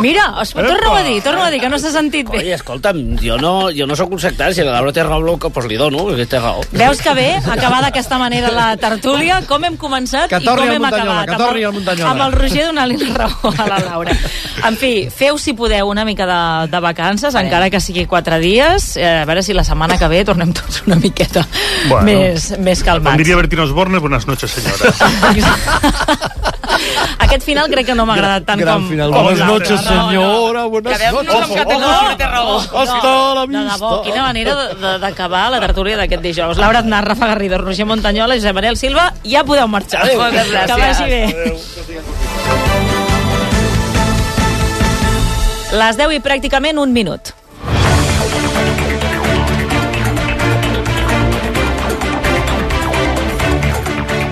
Mira, torna-ho a dir, que no s'ha sentit bé. Oi, escolta'm, jo no sóc un sectari, si la Laura té raó, doncs li dono, perquè té raó. Veus que bé, acabar d'aquesta manera la tertúlia, com hem començat i com hem acabat. Amb el Roger donant-li la raó a la Laura. En fi, feu, si podeu, una mica de vacances, encara que sigui 4 dies, a veure si la setmana que ve tornem tots una miqueta més calmats. Com diria Bertín Osborne, buenas noches, senyora. Aquest final crec que no m'ha agradat tant com buenas noches, senyora, buenas noches. Hasta la vista. Quina manera d'acabar la tertúlia d'aquest dijous. Laura Aznar, Rafa Garrido, Roger Montañola, Josep Manel Silva, ja podeu marxar. Moltes gràcies. Que vagi bé. Les 10 i pràcticament un minut.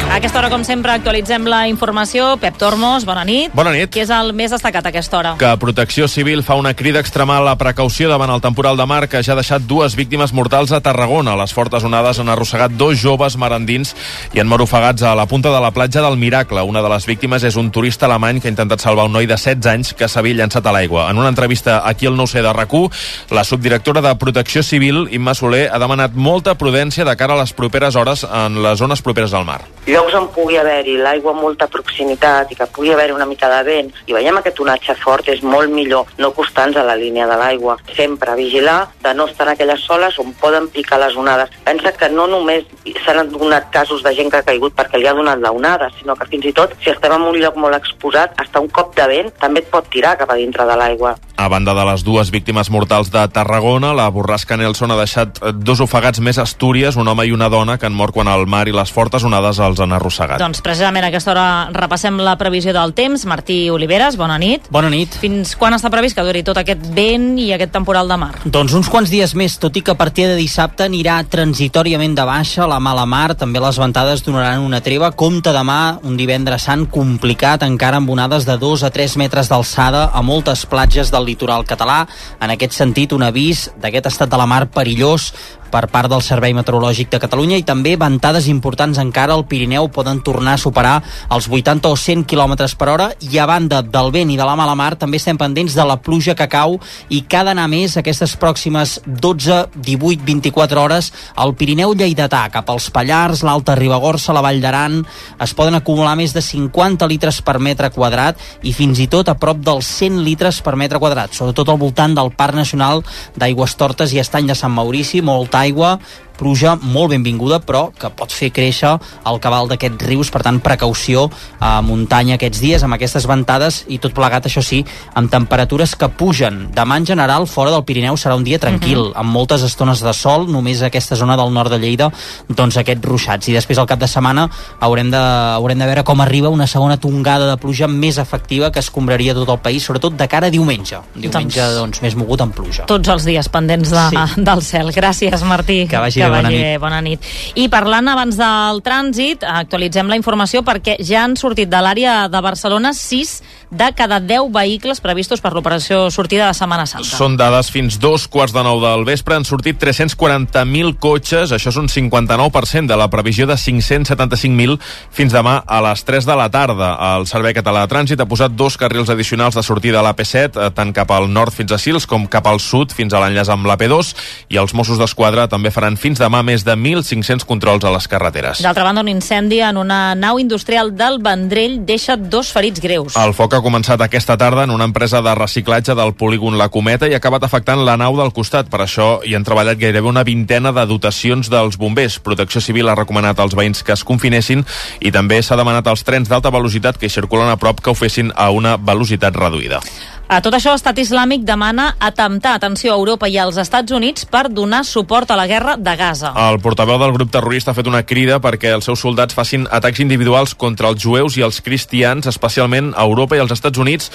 A aquesta hora, com sempre, actualitzem la informació. Pep Tormos, bona nit. Bona nit. Què és el més destacat a aquesta hora? Que Protecció Civil fa una crida a extremar la precaució davant el temporal de mar que ja ha deixat 2 víctimes mortals a Tarragona. Les fortes onades han arrossegat 2 joves marandins i han marofegats a la punta de la platja del Miracle. Una de les víctimes és un turista alemany que ha intentat salvar un noi de 16 anys que s'havia llançat a l'aigua. En una entrevista aquí al 9C de RAC1, la subdirectora de Protecció Civil, Imma Soler, ha demanat molta prudència de cara a les properes hores en les zones properes al mar. Llocs on pugui haver-hi l'aigua a molta proximitat i que pugui haver-hi una mica de vent i veiem aquest onatge fort, és molt millor no acostar-nos a la línia de l'aigua. Sempre vigilar de no estar en aquelles soles on poden picar les onades. Pensa que no només s'han donat casos de gent que ha caigut perquè li ha donat la onada, sinó que fins i tot, si estem en un lloc molt exposat, hasta un cop de vent també et pot tirar cap a dintre de l'aigua. A banda de les 2 víctimes mortals de Tarragona, la borrasca Nelson ha deixat 2 ofegats més a Astúries, un home i una dona que han mort quan el mar i les fortes onades els han arrossegat. Doncs precisament a aquesta hora repassem la previsió del temps. Martí Oliveres, bona nit. Bona nit. Fins quan està previst que duri tot aquest vent i aquest temporal de mar? Doncs uns quants dies més, tot i que a partir de dissabte anirà transitòriament de baixa la mala mar, també les ventades donaran una treva. Compte demà, un divendres sant complicat, encara amb onades de 2 a 3 metres d'alçada a moltes platges del litoral català. En aquest sentit, un avís d'aquest estat de la mar perillós per part del Servei Meteorològic de Catalunya i també ventades importants encara al Pirineu poden tornar a superar els 80 o 100 km per hora i a banda del vent i de la mala mar també estem pendents de la pluja que cau i que ha d'anar més aquestes pròximes 12, 18, 24 hores al Pirineu lleidatà, cap als Pallars, l'Alta Ribagorça, la Vall d'Aran. Es poden acumular més de 50 litres per metre quadrat i fins i tot a prop dels 100 litres per metre quadrat, sobretot al voltant del Parc Nacional d'Aigüestortes i Estany de Sant Maurici, molta aigua, pluja molt benvinguda, però que pot fer créixer el cabal d'aquests rius, per tant, precaució a muntanya aquests dies, amb aquestes ventades i tot plegat, això sí, amb temperatures que pugen. Demà, en general, fora del Pirineu serà un dia tranquil, amb moltes estones de sol, només aquesta zona del nord de Lleida, doncs aquests ruixats. I després, al cap de setmana, haurem de veure com arriba una segona tongada de pluja més efectiva que escombraria tot el país, sobretot de cara a diumenge. Diumenge, doncs més mogut amb pluja. Tots els dies pendents del cel. Gràcies, Martí. Que vagi bé, bona nit. I parlant abans del trànsit, actualitzem la informació perquè ja han sortit de l'àrea de Barcelona 6 de cada 10 vehicles previstos per l'operació sortida de Setmana Santa. Són dades fins 2:15 del vespre. Han sortit 340.000 cotxes, això és un 59% de la previsió de 575.000 fins demà a les 3 de la tarda. El Servei Català de Trànsit ha posat 2 carrils addicionals de sortida a l'AP7, tant cap al nord fins a Sils com cap al sud fins a l'enllaç amb l'AP2, i els Mossos d'Esquadra també faran fins demà més de 1.500 controls a les carreteres. D'altra banda, un incendi en una nau industrial del Vendrell deixa 2 ferits greus. El foc ha començat aquesta tarda en una empresa de reciclatge del polígon La Cometa i ha acabat afectant la nau del costat. Per això hi han treballat gairebé una vintena de dotacions dels bombers. Protecció Civil ha recomanat als veïns que es confinessin i també s'ha demanat als trens d'alta velocitat que circulen a prop que ho fessin a una velocitat reduïda. A tot això, Estat Islàmic demana atemptar, atenció, a Europa i als Estats Units per donar suport a la guerra de Gaza. El portaveu del grup terrorista ha fet una crida perquè els seus soldats facin atacs individuals contra els jueus i els cristians, especialment a Europa i als Estats Units,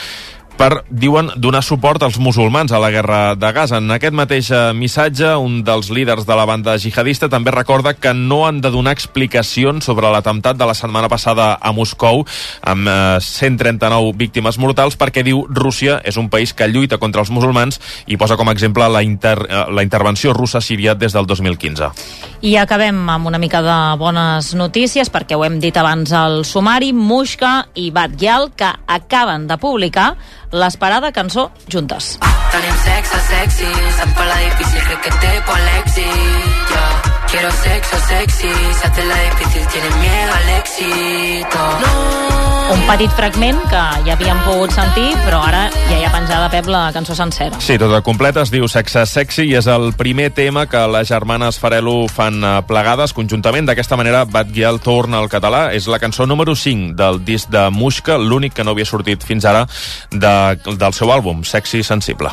per, diuen, donar suport als musulmans a la guerra de Gaza. En aquest mateix missatge, un dels líders de la banda jihadista també recorda que no han de donar explicacions sobre l'atemptat de la setmana passada a Moscou amb 139 víctimes mortals perquè, diu, Rússia és un país que lluita contra els musulmans i posa com a exemple la intervenció russa a Síria des del 2015. I acabem amb una mica de bones notícies perquè ho hem dit abans al sumari. Mushka i Batgyal, que acaben de publicar l'esperada cançó Juntes. Tenim sexe sexy, se'n parla difícil, crec que té por l'èxit, yeah. Quiero sexo sexy, se hace la difícil, tiene miedo al éxito. Un petit fragment que ja havíem pogut sentir, però ara ja hi ha penjada, Pep, la cançó sencera. Sí, tota completa, es diu Sexe Sexy i és el primer tema que les germanes Farelo fan plegades conjuntament. D'aquesta manera, Batguial torna al català. És la cançó número 5 del disc de Muixca, l'únic que no havia sortit fins ara del seu àlbum, Sexy Sensible.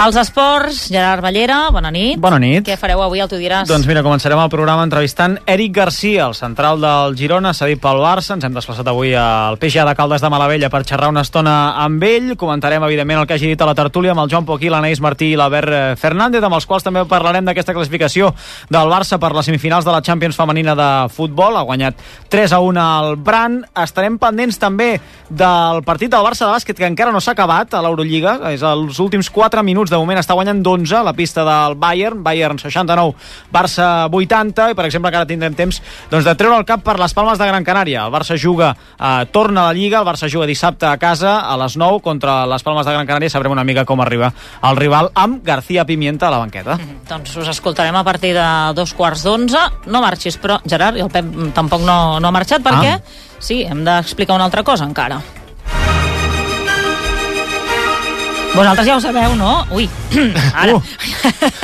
Els esports, Gerard Ballera, bona nit. Bona nit. Què fareu avui, tu diràs? Doncs mira, començarem el programa entrevistant Eric Garcia, el central del Girona, cedit pel Barça. Ens hem desplaçat avui al PGA de Caldes de Malavella per xerrar una estona amb ell. Comentarem, evidentment, el que hagi dit a la tertúlia amb el Joan Poquí, l'Anaïs Martí i l'Albert Fernández, amb els quals també parlarem d'aquesta classificació del Barça per les semifinals de la Champions femenina de futbol. Ha guanyat 3-1 al Bran. Estarem pendents també del partit del Barça de bàsquet, que encara no s'ha acabat a l'Eurolliga. És els últims 4 minuts. De moment està guanyant d'11 a la pista del Bayern 69, Barça 80, i per exemple encara tindrem temps de treure el cap per les Palmes de Gran Canària. El Barça torna a la Lliga, el Barça juga dissabte a casa a les 9 contra les Palmes de Gran Canària. Sabrem una mica com arriba el rival amb García Pimienta a la banqueta. Doncs us escoltarem a partir de 2:45. No marxis, però Gerard, i el Pep tampoc no ha marxat, perquè sí, hem d'explicar una altra cosa encara. Vosaltres ja ho sabeu, no? Ui, ara.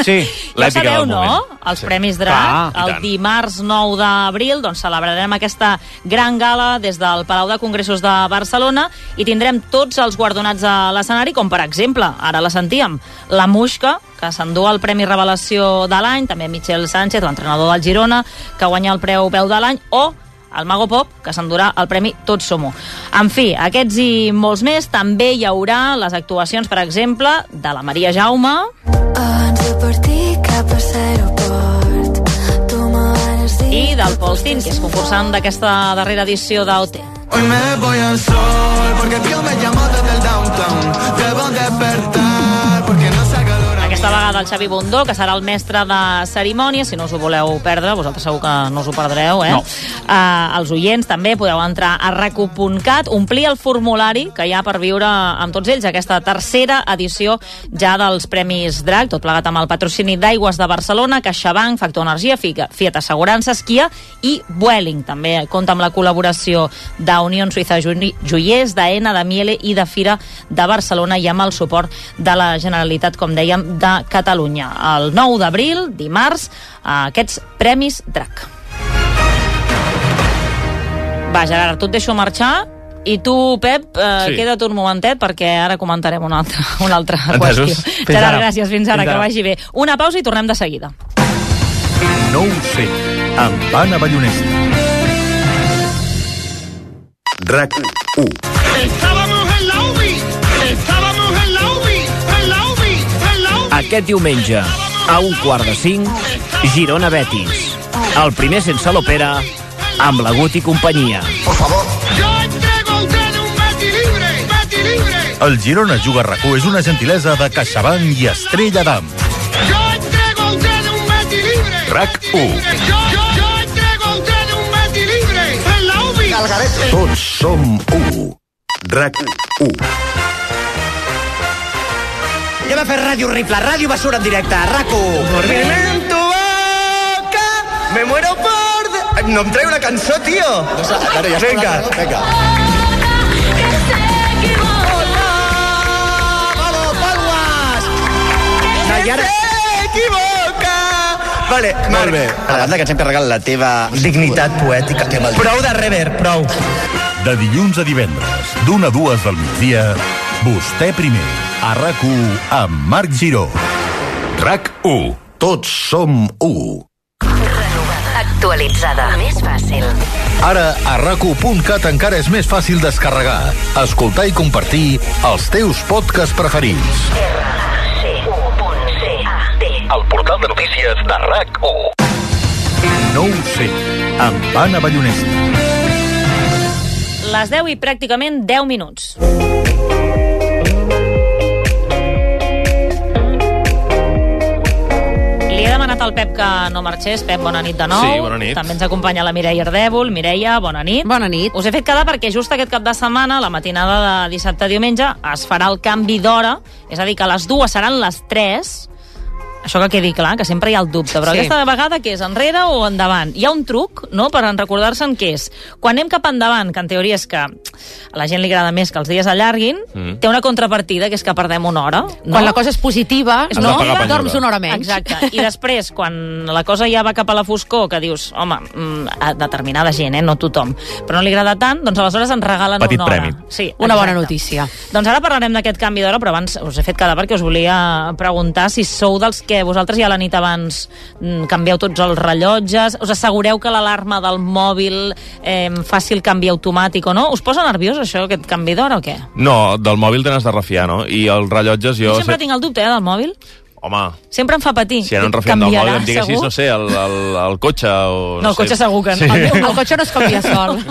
Sí. Ja sabeu, no? Els Premis Drac. El dimarts 9 d'abril celebrarem aquesta gran gala des del Palau de Congressos de Barcelona i tindrem tots els guardonats a l'escenari, com per exemple, ara la sentíem, la Muixca, que s'endú el Premi Revelació de l'any, també Michel Sánchez, l'entrenador del Girona, que guanya el Preu Veu de l'any, o el Mago Pop, que s'endurà el Premi Tots Som-ho. En fi, aquests i molts més. També hi haurà les actuacions, per exemple, de la Maria Jaume i del Paul Tin, que és concursant d'aquesta darrera edició d'OT. Hoy me voy al sol porque Dios me llamó desde el downtown. Debo despertar porque no salga l'hora. Aquesta vegada el Xavi Bundó, que serà el mestre de cerimònia. Si no us ho voleu perdre, vosaltres segur que no us ho perdreu, eh? No. Els oients també podeu entrar a racu.cat, omplir el formulari que hi ha per viure amb tots ells aquesta tercera edició ja dels Premis Drac, tot plegat amb el patrocini d'Aigües de Barcelona, CaixaBank, Factor Energia, Fiat Assegurances, Kia i Vueling. També compta amb la col·laboració d'Unió Suïssa Joiers, d'AENA, de Miele i de Fira de Barcelona, i amb el suport de la Generalitat, com dèiem, de Catalunya. El 9 d'abril, dimarts, aquests Premis Drac. Va, Gerard, tu et deixo marxar i tu, Pep, queda't un momentet perquè ara comentarem una altra qüestió. Gerard, gràcies, fins ara, que vagi bé. Una pausa i tornem de seguida. No ho sé, amb Anna Ballonesta. RAC 1. Aquest diumenge, a 4:45, Girona Betis. El primer sense l'Opera, amb la Guti companyia. Por favor. El Girona Juga a RAC1 és una gentilesa de CaixaBank i Estrella d'Am. RAC1. Tots som 1. RAC1. Anem a fer ràdio horrible, ràdio basura en directe, RAC1. Dormirme en tu boca, me muero por... No em treu una cançó, tio. Vinga. Vale, molt bé. A banda que ens hem carregat la teva dignitat poètica. Prou de reverb, prou. De dilluns a divendres, d'1 a 2 del migdia, Vostè primer, a RAC1 amb Marc Giró. RAC1. Tots som 1. Actualitzada. Més fàcil. Ara, a RAC1.cat encara és més fàcil descarregar, escoltar i compartir els teus podcasts preferits. El portal de notícies de RAC1. No ho sé, amb Anna Ballonesta. Les 10 i pràcticament 10 minuts. Li he demanat al Pep que no marxés. Pep, bona nit de nou. Sí, bona nit. També ens acompanya la Mireia Ardèvol. Mireia, bona nit. Bona nit. Us he fet quedar perquè just aquest cap de setmana, la matinada de dissabte a diumenge, es farà el canvi d'hora, és a dir, que les 2 seran les 3. Això que quedi clar, que sempre hi ha el dubte, però aquesta vegada què és, enrere o endavant? Hi ha un truc, no?, per recordar-se en què és. Quan anem cap endavant, que en teoria és que a la gent li agrada més que els dies allarguin, té una contrapartida, que és que perdem una hora. No? Quan la cosa és positiva, dorms una hora menys. Exacte. I després, quan la cosa ja va cap a la foscor, que dius, home, a determinada gent, no tothom, però no li agrada tant, doncs aleshores ens regalen Petit una hora. premi. Sí, una bona notícia. Doncs ara parlarem d'aquest canvi d'hora, però abans us he fet quedar perquè us volia preguntar si sou dels que vosaltres ja la nit abans canvieu tots els rellotges, us assegureu que l'alarma del mòbil faci el canvi automàtic o no? Us posa nerviós això, aquest canvi d'hora o què? No, del mòbil te n'has de refiar, no? I els rellotges jo... Jo sempre tinc el dubte, del mòbil. Home... Sempre em fa patir. Si ara no refiem del mòbil, em diguessis, no sé, el cotxe o... No, el cotxe segur que no. Sí. El cotxe no es canvia sol.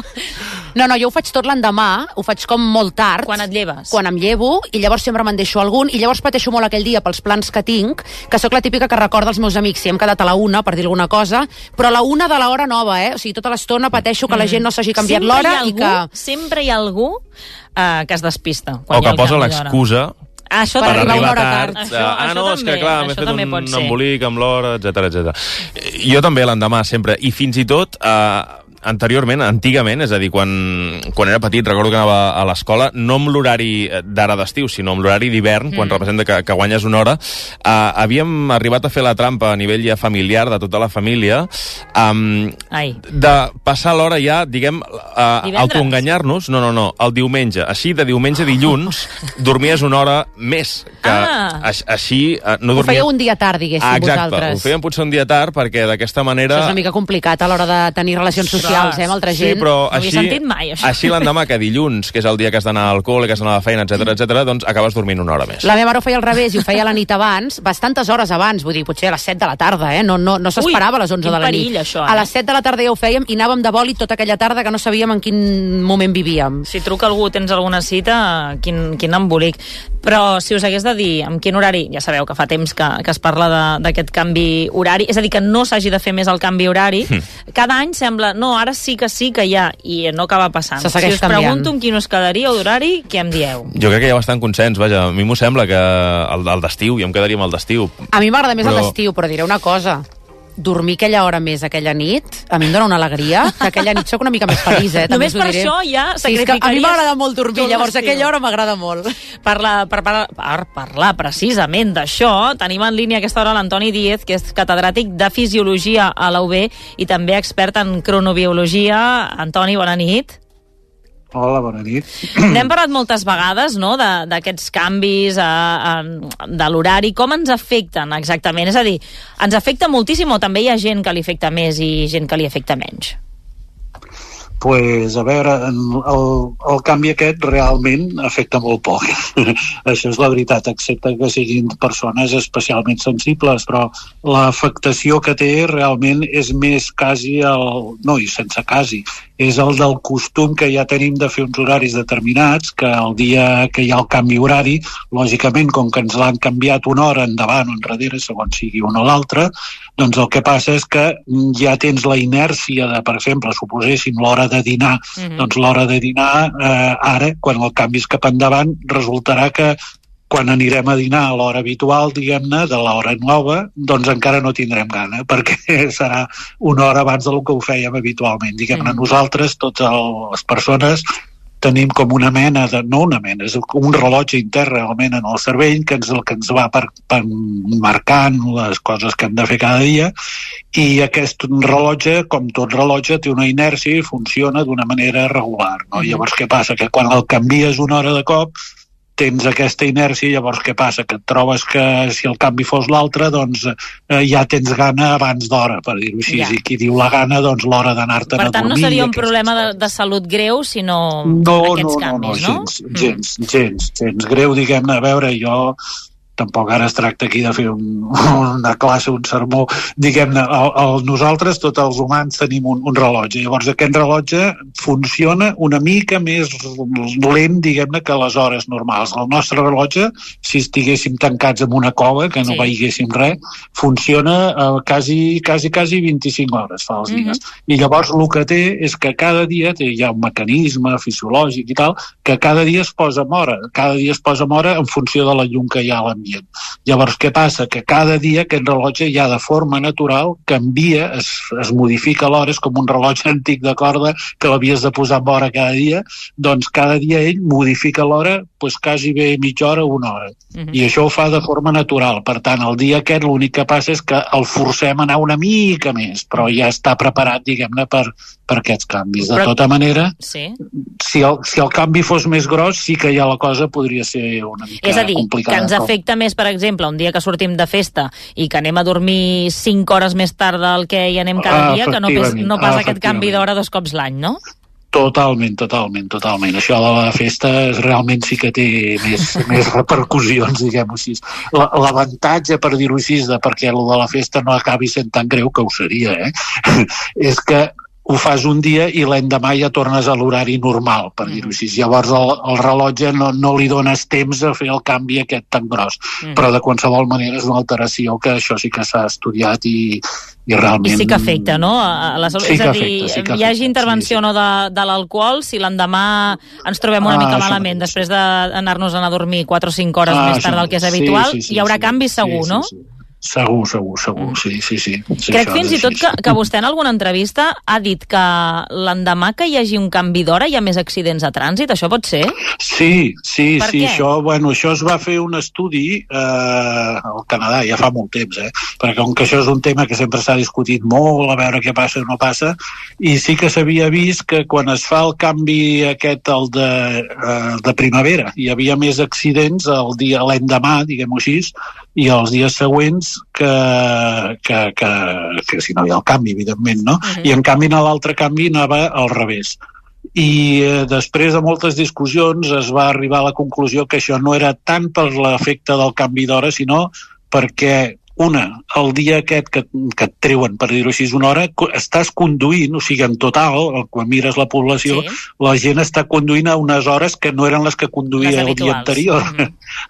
No, jo ho faig tot l'endemà, ho faig com molt tard. Quan et lleves? Quan em llevo, i llavors sempre me'n deixo algun, i llavors pateixo molt aquell dia pels plans que tinc, que sóc la típica que recorda els meus amics, si hem quedat a la 1, per dir alguna cosa, però a la 1 de l'hora nova, O sigui, tota l'estona pateixo que la gent no s'hagi canviat l'hora i que... Sempre hi ha algú que es despista. O que posa l'excusa això per arribar tard. No, és que clar, m'he fet un embolic amb l'hora, etc. Jo també l'endemà, sempre. I fins i tot... antigament, és a dir, quan era petit, recordo que anava a l'escola, no amb l'horari d'ara d'estiu, sinó amb l'horari d'hivern, quan representa que guanyes una hora, havíem arribat a fer la trampa a nivell ja familiar, de tota la família, de passar l'hora ja, diguem, autoenganyar-nos, no, el diumenge. Així, de diumenge a dilluns, dormies una hora més, que així no dormies... Ho fèieu un dia tard, diguéssim, vosaltres. Exacte, ho fèiem potser un dia tard, perquè d'aquesta manera... Això és una mica complicat a l'hora de tenir relacions socials, amb altra gent. Sí, però no havia sentit mai, això. Així l'endemà, que dilluns, que és el dia que has d'anar al col·le, que has d'anar a la feina, etc, doncs acabes dormint una hora més. La meva mare ho feia al revés i ho feia la nit abans, bastantes hores abans, vull dir, potser a les 7 de la tarda, No s'esperava a les 11 de la nit. Perill, això, A les 7 de la tarda ja ho fèiem i anàvem de bòlit tota aquella tarda que no sabíem en quin moment vivíem. Si truca algú, tens alguna cita, quin embolic. Però si us hagués de dir en quin horari, ja sabeu que fa temps que es parla d'aquest canvi horari, és a dir, que no s'hagi de fer més el canvi horari, cada any sembla, no, ara sí que hi ha, i no acaba passant. Se segueix canviant. Si us pregunto en quin us quedaríeu d'horari, què em dieu? Jo crec que hi ha bastant consens, vaja, a mi m'ho sembla que el d'estiu, jo em quedaria amb el d'estiu. A mi m'agrada més el d'estiu, però diré una cosa. Dormir aquella hora més aquella nit, a mi em dona una alegria, que aquella nit sóc una mica més feliç, Només per això ja sacrificaries... A mi m'agrada molt dormir, llavors aquella hora m'agrada molt. Per parlar precisament d'això, tenim en línia a aquesta hora l'Antoni Díez, que és catedràtic de Fisiologia a la UB i també expert en cronobiologia. Antoni, bona nit. Hola, bona nit. N'hem parlat moltes vegades, no?, d'aquests canvis de l'horari. Com ens afecten exactament? És a dir, ens afecta moltíssim o també hi ha gent que li afecta més i gent que li afecta menys? Pues, a veure, el canvi aquest realment afecta molt poc. Això és la veritat, excepte que siguin persones especialment sensibles, però l'afectació que té realment és més quasi no, i sense quasi, és el del costum que ja tenim de fer uns horaris determinats, que el dia que hi ha el canvi horari, lògicament, com que ens l'han canviat una hora endavant o enrere, segons sigui una o l'altra, doncs el que passa és que ja tens la inèrcia de, per exemple, suposéssim l'hora de dinar, doncs l'hora de dinar ara, quan el canvi és cap endavant, resultarà que quan anirem a dinar a l'hora habitual, diguem-ne, de l'hora nova, doncs encara no tindrem gana, perquè serà una hora abans del que ho fèiem habitualment. Diguem-ne, nosaltres, totes les persones, tenim com una mena no una mena, és un rellotge intern realment en el cervell, que és el que ens va marcant les coses que hem de fer cada dia, i aquest rellotge, com tot rellotge, té una inèrcia i funciona d'una manera regular, no? Llavors què passa? Que quan el canvies una hora de cop tens aquesta inèrcia, llavors què passa? Que et trobes que si el canvi fos l'altre, doncs ja tens gana abans d'hora, per dir-ho així. I qui diu la gana, doncs l'hora d'anar-te'n a dormir. Per tant, no seria un problema de salut greu, sinó aquests canvis, no? Gens greu, diguem-ne. A veure, jo tampoc ara es tracta aquí de fer una classe, un sermó, diguem-ne, nosaltres, tots els humans, tenim un rellotge. Llavors, aquest rellotge funciona una mica més lent, diguem-ne, que les hores normals. El nostre rellotge, si estiguéssim tancats en una cova, que no veiéssim res, funciona quasi 25 hores fa els dies. I llavors el que té és que cada dia hi ha un mecanisme fisiològic i tal, que cada dia es posa amb hora, en funció de la llum que hi ha a l'ambient. Llavors, què passa? Que cada dia aquest rellotge ja de forma natural canvia, es modifica l'hora, és com un rellotge antic de corda que l'havies de posar amb hora cada dia, doncs cada dia ell modifica l'hora quasi bé mitja hora o una hora. I això ho fa de forma natural. Per tant, el dia aquest l'únic que passa és que el forcem a anar una mica més, però ja està preparat, diguem-ne, per aquests canvis. De tota manera, si el canvi fos més gros, sí que ja la cosa podria ser una mica complicada. És a dir, que ens afecta més, per exemple, un dia que sortim de festa i que anem a dormir 5 hores més tard del que hi anem cada dia, que no pas aquest canvi d'hora 2 cops l'any, no? Totalment. Això de la festa realment sí que té més repercussions, diguem-ho així. L'avantatge, per dir-ho així, perquè el de la festa no acabi sent tan greu, que ho seria, és que ho fas un dia i l'endemà ja tornes a l'horari normal, per dir-ho així. Llavors el rellotge no li dones temps a fer el canvi aquest tan gros. Però de qualsevol manera és una alteració que això sí que s'ha estudiat i realment... I sí que afecta, no? És a dir, hi hagi intervenció no de l'alcohol, si l'endemà ens trobem una mica malament, després d'anar-nos a dormir 4 o 5 hores més tard del que és habitual, hi haurà canvis segur, no? Segur, sí. Crec fins i tot que vostè en alguna entrevista ha dit que l'endemà que hi hagi un canvi d'hora hi ha més accidents a trànsit, això pot ser? Sí, això es va fer un estudi al Canadà, ja fa molt temps, perquè com que això és un tema que sempre s'ha discutit molt, a veure què passa o no passa, i sí que s'havia vist que quan es fa el canvi aquest, el de primavera, hi havia més accidents l'endemà, diguem-ho així, i els dies següents que si no hi ha el canvi, evidentment, no? I en canvi en l'altre canvi anava al revés. I després de moltes discussions es va arribar a la conclusió que això no era tant per l'efecte del canvi d'hora, sinó perquè el dia aquest que et treuen, per dir-ho així, una hora, estàs conduint, o sigui, en total, quan mires la població, la gent està conduint a unes hores que no eren les que conduïa el dia anterior.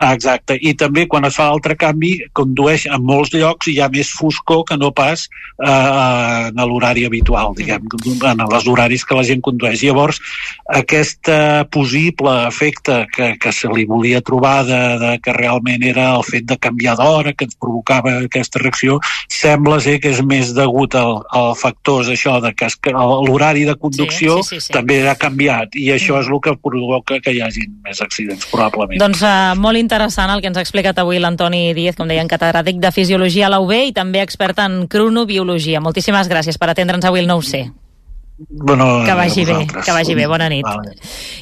Exacte. I també, quan es fa l'altre canvi, condueix en molts llocs i hi ha més foscor que no pas en l'horari habitual, diguem, en els horaris que la gent condueix. Llavors, aquest possible efecte que se li volia trobar que realment era el fet de canviar d'hora, que ens provocava aquesta reacció, sembla ser que és més degut al factors això de que l'horari de conducció també ha canviat i això és el que provoca que hi hagi més accidents, probablement. Doncs molt interessant el que ens ha explicat avui l'Antoni Díez, com deien, catedràtic de Fisiologia a la UB i també expert en cronobiologia. Moltíssimes gràcies per atendre'ns avui el 9C. Que vagi bé, bona nit.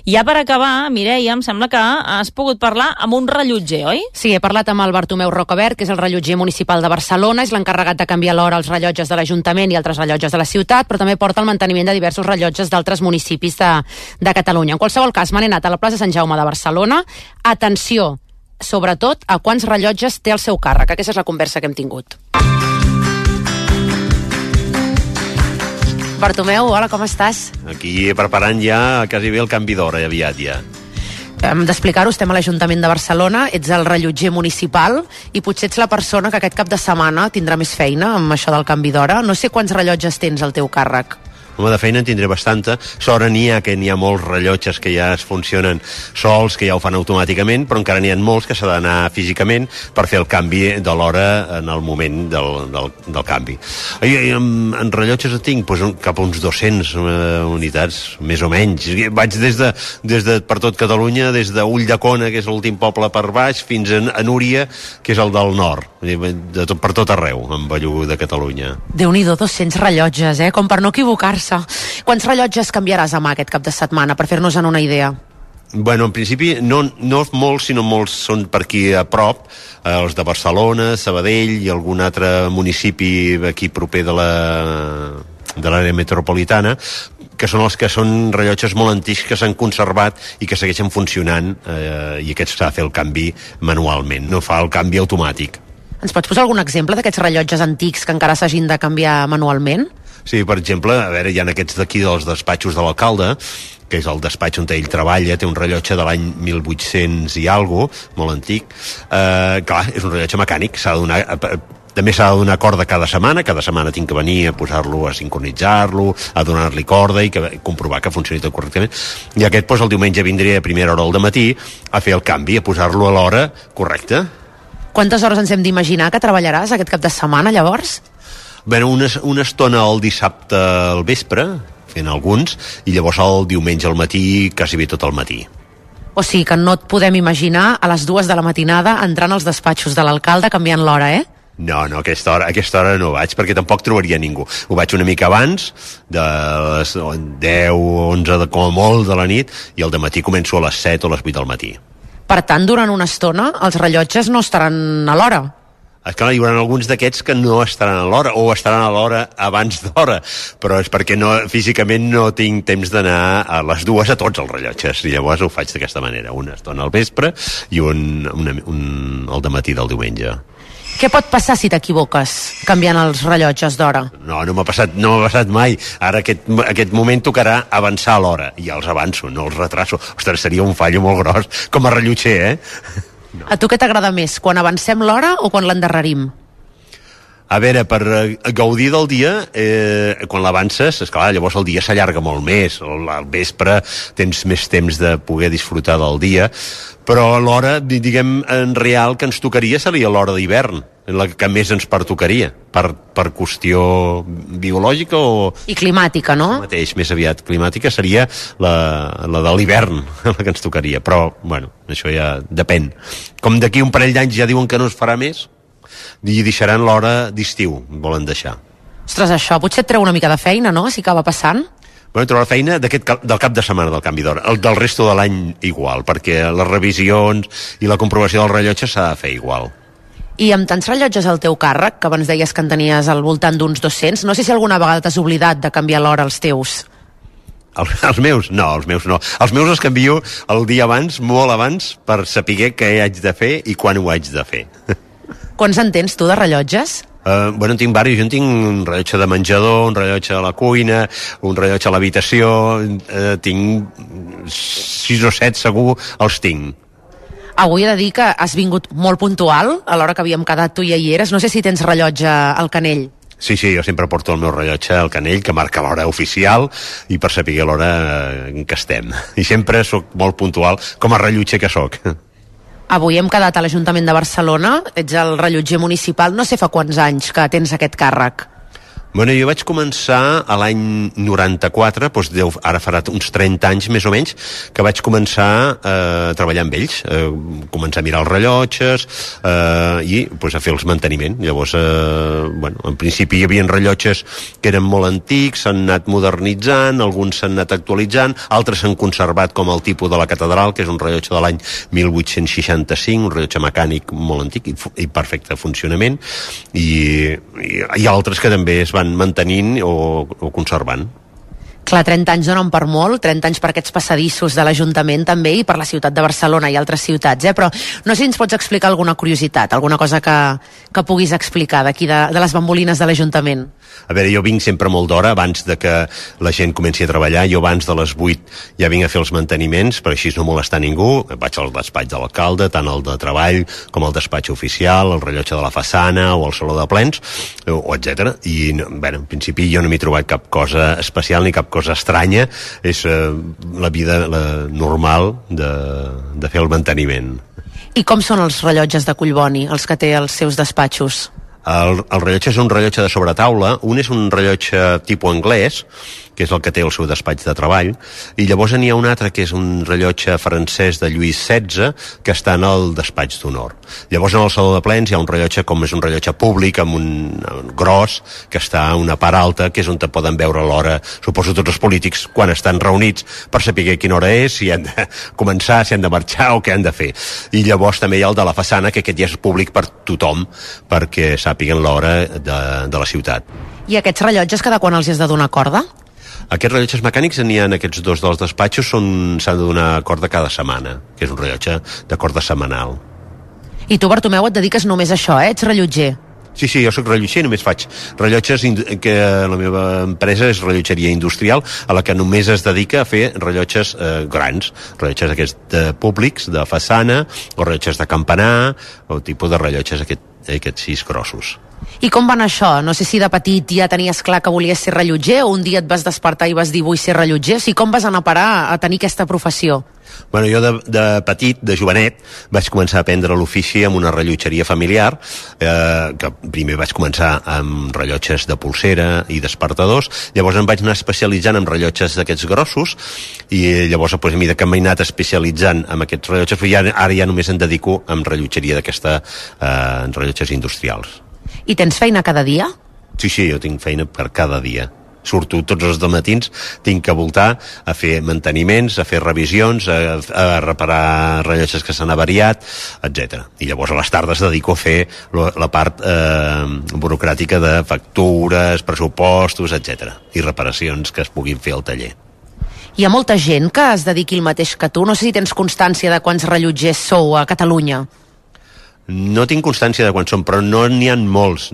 Ja per acabar, Mireia, em sembla que has pogut parlar amb un rellotger, oi? Sí, he parlat amb el Bartomeu Rocabert, que és el rellotger municipal de Barcelona, és l'encarregat de canviar l'hora als rellotges de l'Ajuntament i altres rellotges de la ciutat, però també porta el manteniment de diversos rellotges d'altres municipis de Catalunya. En qualsevol cas, m'han anat a la plaça Sant Jaume de Barcelona. Atenció, sobretot, a quants rellotges té el seu càrrec. Aquesta és la conversa que hem tingut. Bartomeu, hola, com estàs? Aquí preparant ja quasi bé el canvi d'hora, aviat ja. Hem d'explicar-ho, estem a l'Ajuntament de Barcelona, ets el rellotger municipal i potser ets la persona que aquest cap de setmana tindrà més feina amb això del canvi d'hora. No sé quants rellotges tens al teu càrrec. Home, de feina en tindré bastanta. Sort n'hi ha molts rellotges que ja es funcionen sols, que ja ho fan automàticament, però encara n'hi ha molts que s'ha d'anar físicament per fer el canvi de l'hora en el moment del canvi. En rellotges tinc cap a uns 200 unitats, més o menys. Vaig des de per tot Catalunya, des d'Ulldecona, que és l'últim poble per baix, fins a Núria, que és el del nord. Per tot arreu, en Bellú de Catalunya. Déu-n'hi-do, 200 rellotges, com per no equivocar-se. Quants rellotges canviaràs demà aquest cap de setmana, per fer-nos una idea? Bueno, en principi no molts, sinó molts són per aquí a prop, els de Barcelona, Sabadell i algun altre municipi aquí proper de l'àrea metropolitana, que són els que són rellotges molt antics que s'han conservat i que segueixen funcionant, i aquests s'ha de fer el canvi manualment, no fa el canvi automàtic. Ens pots posar algun exemple d'aquests rellotges antics que encara s'hagin de canviar manualment? Sí, per exemple, a veure, hi ha aquests d'aquí dels despatxos de l'alcalde, que és el despatx on ell treballa, té un rellotge de l'any 1800 i alguna cosa, molt antic. Clar, és un rellotge mecànic, també s'ha de donar corda cada setmana tinc que venir a posar-lo, a sincronitzar-lo, a donar-li corda i comprovar que funcioni tot correctament. I aquest, doncs, el diumenge vindria a primera hora del matí a fer el canvi, a posar-lo a l'hora correcta. Quantes hores ens hem d'imaginar que treballaràs aquest cap de setmana, llavors? Bé, una estona el dissabte al vespre, fent alguns, i llavors el diumenge al matí, quasi bé tot el matí. O sigui que no et podem imaginar a les 2 de la matinada entrant als despatxos de l'alcalde canviant l'hora, eh? No, a aquesta hora no vaig, perquè tampoc trobaria ningú. Ho vaig una mica abans, de les 10 o 11 com a molt de la nit, i al dematí començo a les 7 o les 8 del matí. Per tant, durant una estona, els rellotges no estaran a l'hora. Esclar, hi haurà alguns d'aquests que no estaran a l'hora, o estaran a l'hora abans d'hora, però és perquè físicament no tinc temps d'anar a les 2 a tots els rellotges, i llavors ho faig d'aquesta manera, una estona al vespre i un al dematí del diumenge. Què pot passar si t'equivoques canviant els rellotges d'hora? No m'ha passat mai. Ara aquest moment tocarà avançar a l'hora, i ja els avanço, no els retraso. Ostres, seria un fallo molt gros, com a rellotger, No. A tu què t'agrada més, quan avancem l'hora o quan l'endarrerim? A veure, per gaudir del dia, quan l'avances, esclar, llavors el dia s'allarga molt més, al vespre tens més temps de poder disfrutar del dia, però l'hora, diguem, en real que ens tocaria seria l'hora d'hivern, la que més ens pertocaria, per qüestió biològica o... I climàtica, no? Mateix, més aviat climàtica, seria la de l'hivern, la que ens tocaria, però, bueno, això ja depèn. Com d'aquí un parell d'anys ja diuen que no es farà més, i deixaran l'hora d'estiu, volen deixar. Ostres, això potser et treu una mica de feina, no?, si acaba passant. Bueno, trobar feina del cap de setmana del canvi d'hora, del resto de l'any igual, perquè les revisions i la comprovació del rellotge s'ha de fer igual. I amb tants rellotges al teu càrrec, que abans deies que en tenies al voltant d'uns 200, no sé si alguna vegada t'has oblidat de canviar l'hora als teus. Els meus? No, els meus no. Els meus els canvio el dia abans, molt abans, per saber què haig de fer i quan ho haig de fer. Quants en tens tu de rellotges? Bueno, en tinc diversos. Jo en tinc un rellotge de menjador, un rellotge a la cuina, un rellotge a l'habitació, tinc 6 o 7 segur, els tinc. Avui he de dir que has vingut molt puntual a l'hora que havíem quedat tu i hi eres. No sé si tens rellotge al canell. Sí, jo sempre porto el meu rellotge al canell, que marca l'hora oficial, i per saber l'hora en què estem. I sempre sóc molt puntual, com a rellotger que sóc. Avui hem quedat a l'Ajuntament de Barcelona, ets el rellotger municipal, no sé fa quants anys que tens aquest càrrec. Bueno, jo vaig començar a l'any 94, doncs ara farà uns 30 anys més o menys, que vaig començar a treballar amb ells, començar a mirar els rellotges i doncs, a fer els manteniment. Llavors, bueno, en principi hi havia rellotges que eren molt antics, s'han anat modernitzant, alguns s'han anat actualitzant, altres s'han conservat com el tipus de la catedral, que és un rellotge de l'any 1865, un rellotge mecànic molt antic i perfecte funcionament, i altres que també es van mantenint o conservant. Clar, 30 anys donen per molt, 30 anys per aquests passadissos de l'Ajuntament també i per la ciutat de Barcelona i altres ciutats, però no sé si ens pots explicar alguna curiositat, alguna cosa que puguis explicar d'aquí de les bambolines de l'Ajuntament. A veure, jo vinc sempre molt d'hora, abans de que la gent comenci a treballar. Jo abans de les 8 ja vinc a fer els manteniments, per així no molestar ningú. Vaig al despatx de l'alcalde, tant el de treball com el despatx oficial, el rellotge de la façana o el saló de plens, o etc. I, bé, en principi jo no m'he trobat cap cosa especial ni cap cosa estranya. És la vida normal de fer el manteniment. I com són els rellotges de Collboni, els que té als seus despatxos? El rellotge és un rellotge de sobretaula, un és un rellotge tipus anglès, que és el que té el seu despatx de treball, i llavors n'hi ha un altre que és un rellotge francès de Lluís XVI, que està en el despatx d'honor. Llavors en el saló de plens hi ha un rellotge, com és un rellotge públic, amb un gros, que està a una part alta, que és on te poden veure l'hora, suposo tots els polítics, quan estan reunits, per saber quina hora és, si han de començar, si han de marxar o què han de fer. I llavors també hi ha el de la façana, que aquest ja és públic per tothom, perquè sàpiguen l'hora de la ciutat. I aquests rellotges cada quan els has de donar corda? Aquests rellotges mecànics n'hi ha aquests dos dels despatxos, s'han de donar corda cada setmana, que és un rellotge de corda setmanal. I tu, Bartomeu, et dediques només a això, Ets rellotger? Sí, jo sóc rellotger, només faig rellotges, que la meva empresa és rellotgeria industrial, a la que només es dedica a fer rellotges grans, rellotges aquests públics, de façana, o rellotges de campanar, o tipus de rellotges aquests 6 grossos. I com va anar això? No sé si de petit ja tenies clar que volies ser rellotger o un dia et vas despertar i vas dir vull ser rellotger? O sigui, com vas anar a parar a tenir aquesta professió? Bueno, jo de petit, de jovenet, vaig començar a aprendre l'ofici amb una rellotgeria familiar, que primer vaig començar amb rellotges de polsera i despertadors, llavors em vaig anar especialitzant en rellotges d'aquests grossos, i llavors, a mesura que m'he anat especialitzant en aquests rellotges, ara ja només em dedico a rellotgeria d'aquesta, en rellotges industrials. I tens feina cada dia? Sí, jo tinc feina per cada dia. Surto tots els matins, tinc que voltar a fer manteniments, a fer revisions, a reparar rellotges que s'han avariat, etc. I llavors a les tardes dedico a fer la part burocràtica de factures, pressupostos, etc. I reparacions que es puguin fer al taller. Hi ha molta gent que es dediqui el mateix que tu? No sé si tens constància de quants rellotgers sou a Catalunya. No tinc constància de quan són, però no n'hi ha molts.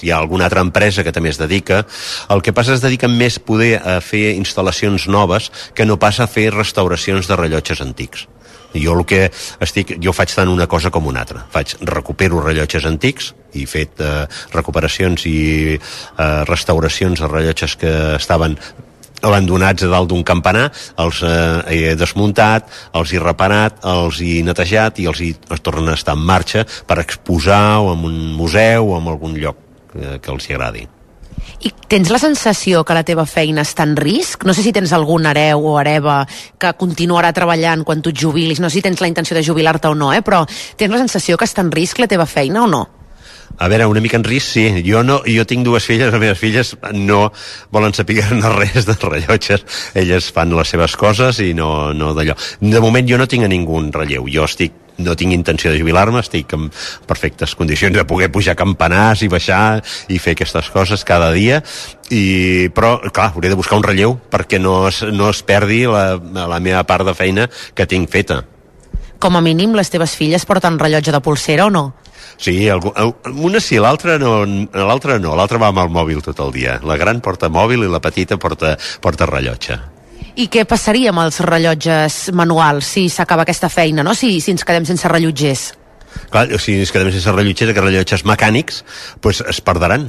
Hi ha alguna altra empresa que també es dedica. El que passa es dediquen més poder a fer instal·lacions noves que no pas a fer restauracions de rellotges antics. Jo faig tant una cosa com una altra. Recupero rellotges antics, i he fet recuperacions i restauracions de rellotges que estaven abandonats a dalt d'un campanar, els he desmuntat, els he reparat, els he netejat i els tornen a estar en marxa per exposar o en un museu o en algun lloc que els hi agradi. I tens la sensació que la teva feina està en risc? No sé si tens algun hereu o hereva que continuarà treballant quan tu et jubilis, no sé si tens la intenció de jubilar-te o no, però tens la sensació que està en risc la teva feina o no? A veure, una mica en risc, sí. Jo tinc 2 filles, les meves filles no volen saber res de rellotges. Elles fan les seves coses i no d'allò. De moment jo no tinc a ningú en relleu. No tinc intenció de jubilar-me, estic en perfectes condicions de poder pujar campanars i baixar i fer aquestes coses cada dia, però, clar, hauré de buscar un relleu perquè no es perdi la meva part de feina que tinc feta. Com a mínim, les teves filles porten rellotge de polsera o no? Sí, una sí, l'altra no. L'altra va amb el mòbil tot el dia. La gran porta mòbil i la petita porta rellotge. I què passaria amb els rellotges manuals si s'acaba aquesta feina, no? Si ens quedem sense rellotgers? Clar, si ens quedem sense rellotgers, aquests rellotges mecànics es perdran,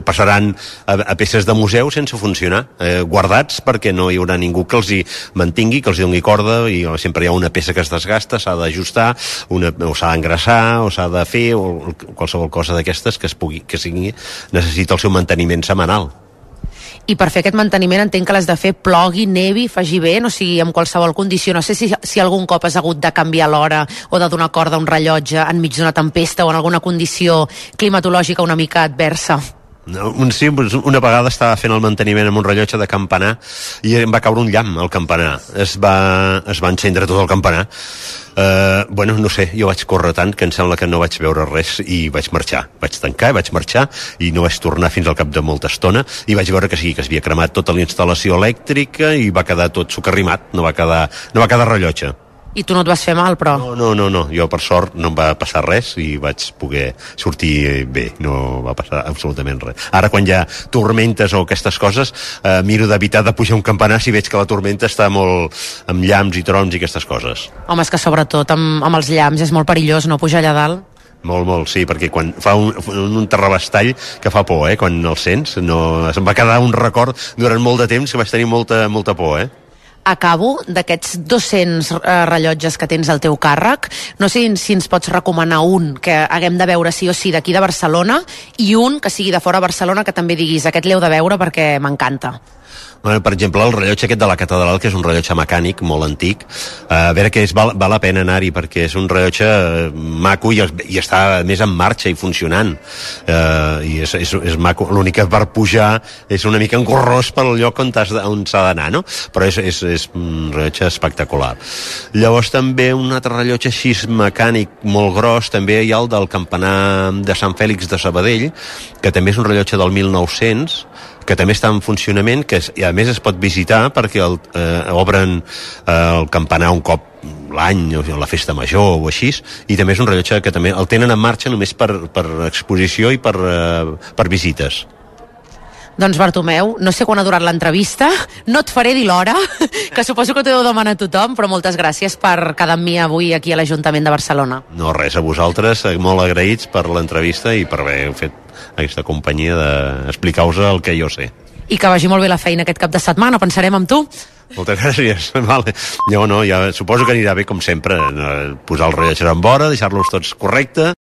passaran a peces de museu sense funcionar, guardats perquè no hi haurà ningú que els hi mantingui, que els hi doni corda, i sempre hi ha una peça que es desgasta, s'ha d'ajustar, o s'ha d'engraçar, o s'ha de fer, o qualsevol cosa d'aquestes que necessita el seu manteniment setmanal. I per fer aquest manteniment entenc que l'has de fer plogui, nevi, faci vent, o sigui, en qualsevol condició. No sé si algun cop has hagut de canviar l'hora o de donar corda a un rellotge enmig d'una tempesta o en alguna condició climatològica una mica adversa. Sí, una vegada estava fent el manteniment amb un rellotge de campanar i em va caure un llamp al campanar. Es va encendre tot el campanar. No sé, jo vaig córrer tant que em sembla que no vaig veure res i vaig marxar. Vaig tancar i vaig marxar i no vaig tornar fins al cap de molta estona i vaig veure que sí, que s'havia cremat tota la instal·lació elèctrica i va quedar tot socarrimat, no va quedar rellotge. I tu no et vas fer mal, però? No, jo per sort no em va passar res i vaig poder sortir bé, no va passar absolutament res. Ara quan hi ha tormentes o aquestes coses, miro d'evitar de pujar un campanar si veig que la tormenta està molt amb llamps i trons i aquestes coses. Home, és que sobretot amb els llamps és molt perillós, no, pujar allà dalt? Molt, sí, perquè quan fa un terrabastall que fa por, quan el sents, se'm va quedar un record durant molt de temps que vaig tenir molta por, Acabo, d'aquests 200 rellotges que tens al teu càrrec, no sé si ens pots recomanar un que haguem de veure sí o sí d'aquí de Barcelona i un que sigui de fora de Barcelona que també diguis aquest l'heu de veure perquè m'encanta. Per exemple, el rellotge aquest de la catedral, que és un rellotge mecànic molt antic, a veure que val la pena anar-hi perquè és un rellotge maco i està més en marxa i funcionant, i és maco. L'únic que per pujar és una mica engorrós pel lloc on s'ha d'anar, no? Però és un rellotge espectacular. Llavors també un altre rellotge així mecànic molt gros, també hi ha el del campanar de Sant Fèlix de Sabadell, que també és un rellotge del 1900, que també està en funcionament, i a més es pot visitar perquè obren el campanar un cop l'any, o la festa major o així, i també és un rellotge que també el tenen en marxa només per exposició i per visites. Doncs Bartomeu, no sé quan ha durat l'entrevista, no et faré dir l'hora, que suposo que t'ho deu demanar a tothom, però moltes gràcies per quedar amb mi avui aquí a l'Ajuntament de Barcelona. No, res, a vosaltres, molt agraïts per l'entrevista i per haver fet aquesta companyia d'explicar-vos el que jo sé. I que vagi molt bé la feina aquest cap de setmana, pensarem amb tu. Moltes gràcies. Vale. Ja suposo que anirà bé com sempre, posar els rellotges en vora, deixar-los tots correcte.